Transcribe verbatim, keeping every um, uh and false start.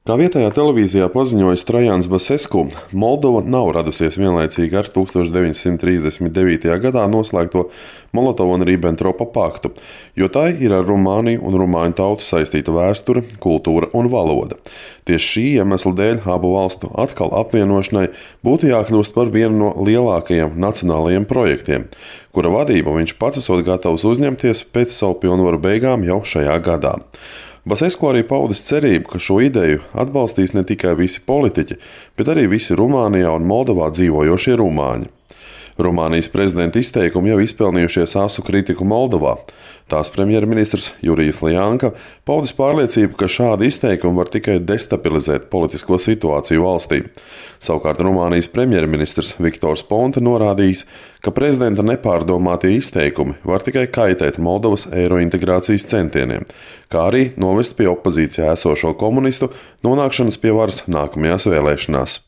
Kā vietējā televīzijā paziņoja Trajans Basescu, Moldova nav radusies vienlaicīgi ar tūkstoš deviņsimt trīsdesmit devītajā gadā noslēgto Molotovu-Ribbentropa paktu, jo tai ir ar Rumāniju un rumāņu tautu saistīta vēsture, kultūra un valoda. Tieši šī iemesla dēļ abu valstu atkal apvienošanai būtu jākļūst par vienu no lielākajiem nacionālajiem projektiem, kura vadību viņš pats esot gatavs uzņemties pēc savu pilnvaru beigām jau šajā gadā. Basescu arī paudis cerību, ka šo ideju atbalstīs ne tikai visi politiķi, bet arī visi Rumānijā un Moldovā dzīvojošie rumāņi. Rumānijas prezidenta izteikumi jau izpelnījušies asu kritiku Moldovā. Tās premjerministrs Jurijs Ljanka paudis pārliecību, ka šādi izteikumi var tikai destabilizēt politisko situāciju valstī. Savukārt Rumānijas premjerministrs Viktors Ponta norādījis, ka prezidenta nepārdomātie izteikumi var tikai kaitēt Moldovas eirointegrācijas centieniem, kā arī novest pie opozīcijā esošo komunistu nonākšanas pie varas nākamajās vēlēšanās.